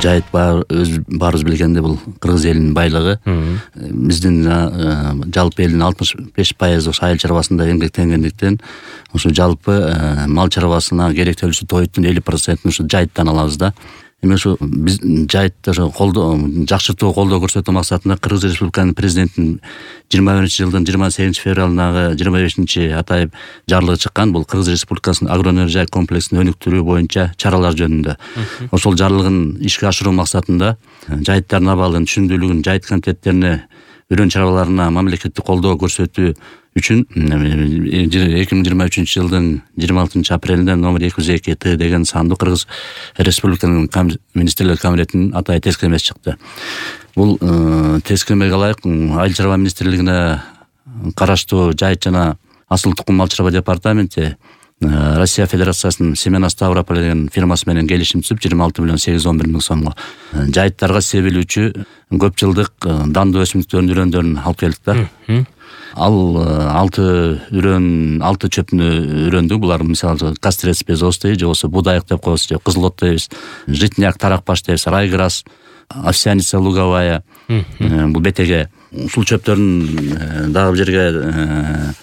жайыт баарыбыз билгендей бул кыргыз элинин байлыгы. Биздин жалпы элдин 65% ошо айыл чарбасында эмгектенгендиктен ошо жалпы мал чарбасына керектелүүчү тоюттун 50%-ын ошо жайыттан алабыз да. Эми ошо биз жайытты ошо жакшыртуу колдоо көрсөтүү максатында Кыргыз Республиканын президентинин 21-жылдын 28-февралындагы 25-атайып жарлыгы чыккан. Бул Кыргыз Республикасынын агроөнөр комплексин өнүктүрүү боюнча чаралар жөнүндө. Ошол жарлыгын ишке ашыруу максатында жайыттардын абалын, түшүндүүлүгүн жайыт комитеттерине, үрөн чарбаларына мамлекеттик колдоо көрсөтүү үчүн 2023-жылдын 26-апрелинде номер 202Т деген сандуу Кыргыз Республиканын министрлер кабинетинин атайын тескемеси чыкты. Бул тескемеге ылайык Айыл чарба министрлигине караштуу Жайыт жана Асыл тукум мал чарба департаменти Россия Федерациясынын Семена Ставрополь деген фирмасы менен келишим түзүп 26,811 миң сомго жайыттарга себилүүчү көп жылдык дандуу өсүмдүктөрдүн үрөндөрүн алып келдик да. Ал 6 чөпүнө үрөндү. Булар мисалы кастрец безостый, же болбосо будайык деп коебуз, же кызылот дейбиз, житняк, таракбаш дейбиз, райграс, овсяница луговая. Бул бетеге ушул чөптөрдүн дагы бир жерге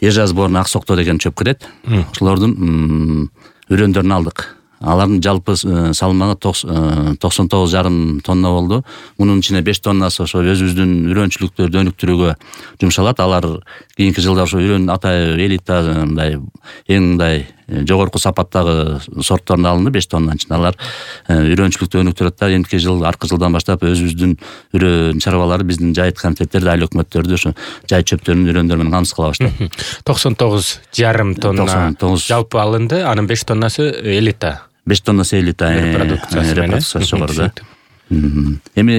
Ежазборн, Аксокто деген чөп кирет. Ошолордун үрөндөрүн алдык. Алардын жалпы салмагы 99,5 тонна болду. Мунун ичине 5 тоннасы ошо өзүбүздүн үрөнчүлүктөрдү өнүктүрүүгө жумшалат. Алар кийинки жылда ошо үрөн атайын элита мындай эң мындай жогорку сапаттагы сортторун алынды 5 тоннанын ичинде. Алар үрөнчүлүктү өнүктүрөт да. Эмки жыл аркы жылдан баштап өзүбүздүн үрөн чарбалары биздин жайыт комитеттерди, айыл өкмөттөрдү ошо жайыт чөптөрүнүн үрөндөрү менен камсыз кыла баштады. 99,5 тонна жалпы алынды. Анын 5 тоннасы элита. 5 тоннасы элита репродукциясы жогору да. Эми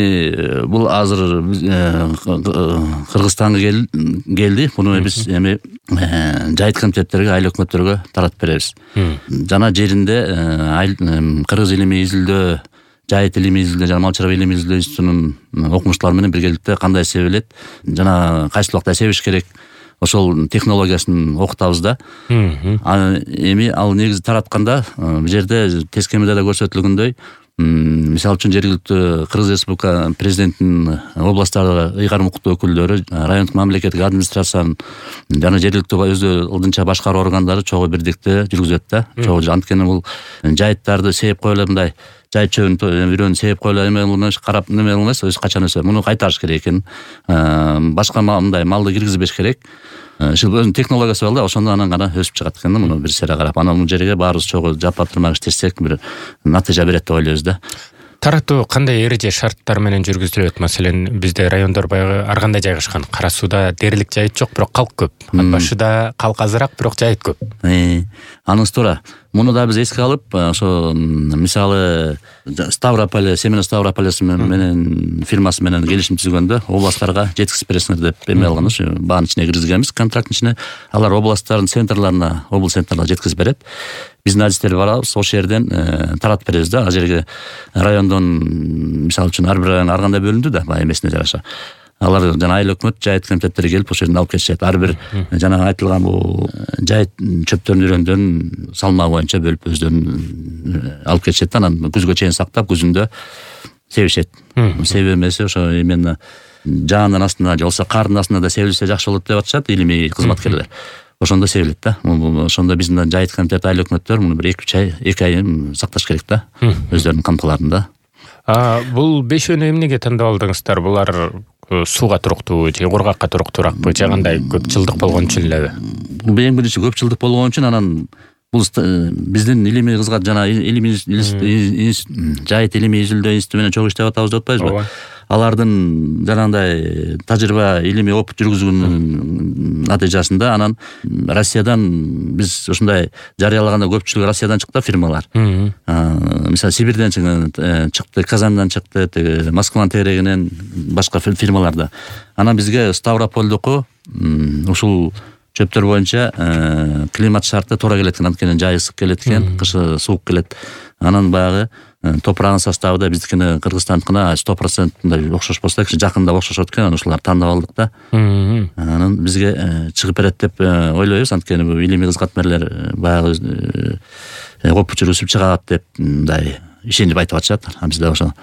бул азыр Кыргызстанга келди. Муну биз эми жайыт комитеттерге, айыл өкмөттөргө таратып беребиз. Жана жеринде Кыргыз илимий изилдөө, жайыт илимий изилдөө жана мал чарба илимий изилдөө институтунун окумуштуулары менен биргеликте кандай себилет жана кайсы убакта себиш керек, ошол технологиясын окутабыз да. Эми ал негизи таратканда бул жерде тескемеде да көрсөтүлгөндөй, мисалы үчүн жергиликтүү Кыргыз Республика президентинин областтардагы ыйгарым укуктуу өкүлдөрү, райондук мамлекеттик администрациянын жана жергиликтүү өзү ылдынча башкаруу органдары чогуу бирдикте жүргүзөт да. Чогуу анткени бул жайыттарды сээп коелу мындай жайыт чөбүн үрөнү сээп коелу эме кылмаш, карап неме кылмайсыз, өз качан өсөт. Муну кайтарыш керек экен. Башка мындай малды киргизбеш керек. Ушул өзүнүн технологиясы бар да, ошондо анан гана өсүп чыгат экен да. Муну бир сера карап, анан бул жерге баарыбыз чогуу жапа турмак иштесек бир натыйжа берет деп ойлойбуз да. Таратуу кандай эреже шарттар менен жүргүзүлөт? Маселен, бизде райондор баягы ар кандай жайгашкан. Кара Сууда дээрлик жайыт жок, бирок калк көп. Ат башыда калк азыраак, бирок жайыт көп. Анысы туура. Муну да биз эске алып, ошо мисалы Ставрополь, Семена Ставрополь менен фирмасы менен келишим түзгөндө областтарга жеткизип бересиңер деп эме алганбыз. Баанын ичине киргизгенбиз, контракттын ичине. Алар областтардын центрларына, облус центрларына жеткизип берет. Биздин адистер барабыз, ошол жерден таратып беребиз да. Ал жерге райондон мисалы үчүн ар бир район ар кандай бөлүндү да, баягы эмесине жараша. Алар жана айыл өкмөт, жайыт комитеттери келип ошол жерден алып кетишет. Ар бир жана айтылган бул жайыт чөптөрүнүн үрөндөрүн салмагы боюнча бөлүп өздөрүн алып кетишет. Анан күзгө чейин сактап, күзүндө себишет. Себүү эмеси ошо именно жаандын астына же болбосо кардын астына да себилсе жакшы болот деп атышат илимий кызматкерлер. Ошондо себилет да. Ошондо биздин жайыт комитет, айыл өкмөттөр муну бир 2 ай сакташ керек да, өздөрүнүн кампыларында. Бул бешөөнү эмнеге тандап алдыңыздар? Булар сууга туруктуу же кургакка туруктууракпы, же кандай көп жылдык болгон үчүн элеби? Бул эң биринчи көп жылдык болгон үчүн, анан бул биздин илимий кызмат жана жайыт илимий изилдөө институту менен чогуу иштеп атабыз деп атпайбызбы? Алардын жанагындай тажрыйба, илимий опыт жүргүзүүнүн натыйжасында анан Россиядан биз ушундай жарыялаганда көпчүлүгү Россиядан чыкты фирмалар. Мисалы Сибирден чыкты, Казандан чыкты, Москванын тегерегинен башка фирмаларда. Анан бизге Ставропольдуку ушул чөптөр боюнча климат шарты туура келет экен, анткени жай ысык келет экен, кышы суук келет. Анан баягы топурагынын составы да биздикине, Кыргызстандыкына 100% окшош болсо да, жакында окшошот экен. Анан ушуларды тандап алдык да. Анан бизге чыгып берет деп ойлойбуз, анткени бул илимий кызматкерлер баягы опыт жүргүзүп чыгат деп мындай ишенип айтып атышат. Бизде ошо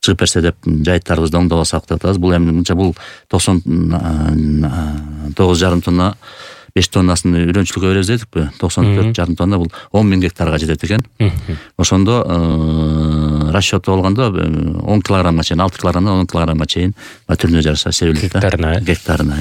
чыгып берсе деп жайыттарыбызды оңдобосок деп атабыз. Бул эми мынча бул 99,5 тонна 5 тоннасын үйрөнчүлүккө беребиз дедикпи. 94,5 тонна бул 10,000 гектарга жетет экен. Ошондо расчёту болгондо 10 килограммга чейин, 6 килограммдан 10 килограммга чейин түрүнө жараша себилет да. Гектарына.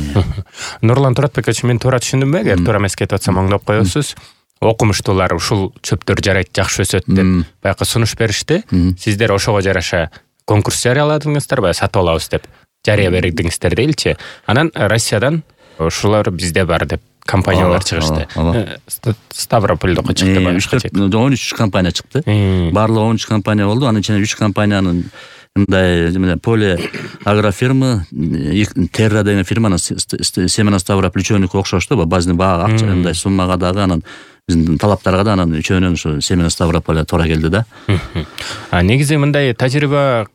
Нурлан Туратбекович, мен туура түшүндүмбү? Эгер туура эмес кетип атсам оңдоп коесуз. Окумуштуулар ушул чөптөр жарайт, жакшы өсөт деп баягы сунуш беришти. Сиздер ошого жараша конкурс жарыяладыңыздар, сатып алабыз деп жарыя бердиңиздер дейличи. Анан Россиядан ушулар бизде бар деп компаниялар чыгышты. Ставропольдоко чыкты. 13 компания чыкты. Барлыгы 13 компания болду. Анын ичинен 3 компаниянын мындай поле агрофирма, Терра деген фирманын Семена Ставрополь үчөөнүкү окшошту. Базны акча мындай суммага дагы, анан биздин талаптарга да анан үчөөнүн ушу Семена Ставрополь туура келди да. Негизи мындай тажрыйба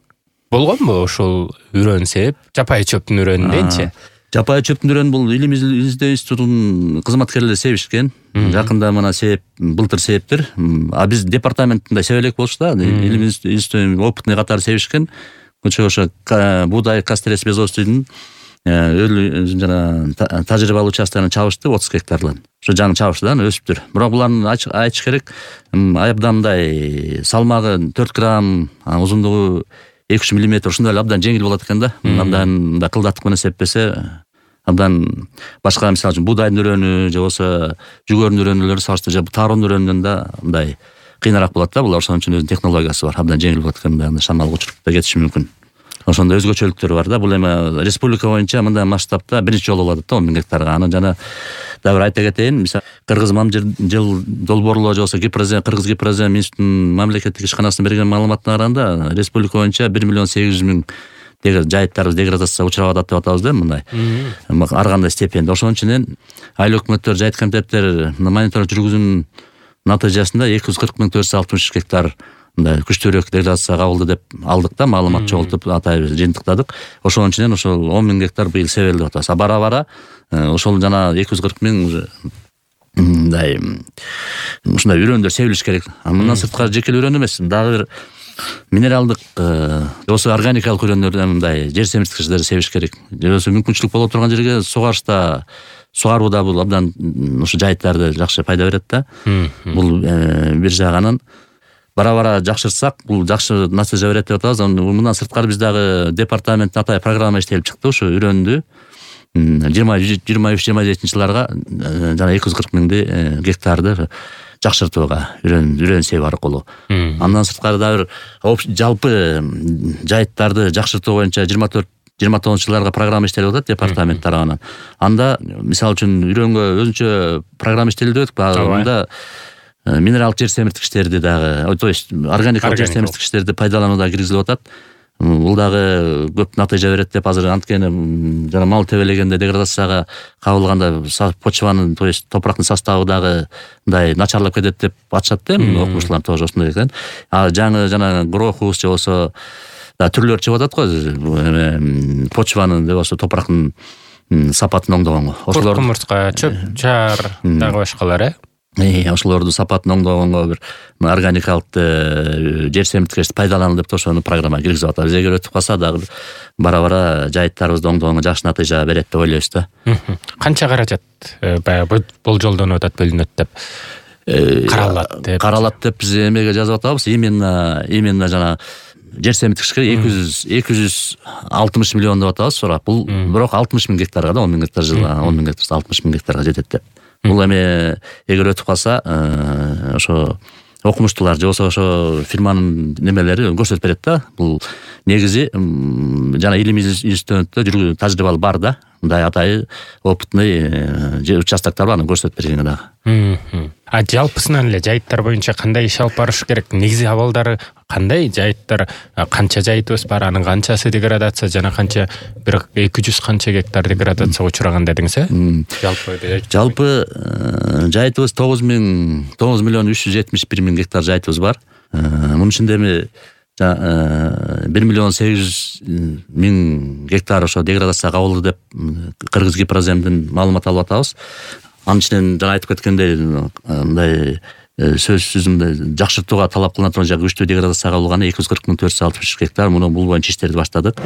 болгонбу ушул үрөнсеп, жапайы чөптүн үрөнүнденчи? Жапайы чөптүн үрөнү бул Илим Издөө институтунун кызматкерлери себишкен. Жакында мына себип, былтыр себиптир. Биз департаментинде себелек болчу да. Илим Издөө опытный катары себишкен. Ошо буудай кастрес безостойдун жана тажрыйбалуу участканы чабышты 30 гектарлан. Ошо жаңы чабышты да, өсүптүр. Бирок булардын айтыш керек, абдан мындай салмагы 4 грамм, узундугу 2-3 миллиметр ушундай эле абдан жеңил болот экен да. Абдан мындай кылдаттык менен сеппесе абдан башка, мисалы үчүн буудайдын үрөнү же болбосо жүгөрүнүн үрөнүлөрү салыштырып, тааруунун үрөнүнөн да мындай кыйыныраак болот да. Булар ошон үчүн өзүнүн технологиясы бар, абдан жеңил болот экен, мындай шамалга учуруп да кетиши мүмкүн. Ошондой өзгөчөлүктөрү бар да. Бул эми республика боюнча мындай масштабта биринчи жолу болот да, 10,000 гектарга. Анан жана дагы бир айта кетейин, мисалы Кыргыз Мамжыл долбоорлоо же болбосо Кыргыз Гипрозем институтунун мамлекеттик ишканасынын берген маалыматына караганда республика боюнча 1,8 миллион жайыттарыбыз деградацияга учурап атат деп атабыз да, мындай. Ар кандай степенде. Ошон үчүн айыл өкмөттөр, жайыт комитеттер мониторинг жүргүзүүнүн натыйжасында 240,460 гектар мындай күчтүүрөөк деградацияга кабылды деп алдык да, маалымат чогултуп атайбыз, жыйынтыктадык. Ошон үчүн ошол 10,000 гектар быйыл себелди деп атабыз. Бара-бара ошол жана 240,000 мындай ушундай үрөндөр себилиш керек. Мындан сырткары жекелей үрөн эмес, дагы бир минералдык болсо органикалык үрөндөрдөн мындай жер семирткичтерди себиш керек. Же болбосо мүмкүнчүлүк боло турган жерге сугарышта сугарууда бул абдан ушу жайыттарды жакшы пайда берет да. Бул бир жагынан бара-бара жакшыртсак, бул жакшы натыйжа берет деп атабыз. Мындан сырткары биз дагы департаменттин атай программа иштелип чыкты. Ушу үрөндү 23-27 жылдарга жана 240,000 гектарды жакшыртууга үрөн себүү аркылуу. Андан сырткары дагы бир жалпы жайыттарды жакшыртуу боюнча 24-29 жылдарга программа иштелип атат департамент тарабынан. Анда мисалы үчүн үрөнгө өзүнчө программа иштелди деп атпайбы? Анда минералдык жер семирткичтерди дагы, то есть органикалык жер семирткичтерди пайдаланууга киргизилип атат. Бул дагы көп натыйжа берет деп азыр, анткени жана мал тебелегенде деградацияга кабылганда почванын, то есть топурактын составы дагы мындай начарлап кетет деп атышат да, окумуштуулар тоже ошондой экен. Жаңы жана грохус же болсо түрлөр чыгып атат го, почванын же болсо топурактын сапатын оңдогонго. Ошолор кумурска, чөп чаар дагы башкалар, ошолорду сапатын оңдогонго бир органикалык жер семирткичти пайдалануу деп ошону программага киргизип атабыз. Эгер өтүп калса дагы бара-бара жайыттарыбызды оңдогонго жакшы натыйжа берет деп ойлойбуз да. Канча каражат баягы болжолдонуп атат, бөлүнөт деп каралат деп биз эмеге жазып атабыз. Именно жана жер семирткичке 260 миллион деп атабыз. Бул бирок 60,000 гектарга да, 10,000 гектар жылга, 10,000 гектар 60,000 гектарга жетет деп. Бул эми эгер өтүп калса, ошо окумуштуулар же болсо ошо фирманын немелери көрсөтүп берет да. Бул негизи жана Илим институтунда тажрыйбалуу бар да. Мындай атайы опытный участоктор бар, аны көрсөтүп берген дагы. Жалпысынан эле жайыттар боюнча кандай иш алып барыш керек? Негизи абалдары кандай? Жайыттар канча жайытыбыз бар, анын канчасы деградация жана канча, бир 200 канча гектар деградацияга учураган дедиңиз, Жалпы жайытыбыз 9,371,000 гектар жайытыбыз бар. Мунун ичинде эми 1,8 гектар ошо деградацияга кабылды деп Кыргыз Гипроземдин маалымат алып атабыз. Анын ичинен жана айтып кеткендей, мындай сөзсүз жакшыртууга талап кылына турган күчтүү деградацияга алганы 240 460 гектар. Муну бул боюнча иштерди баштадык.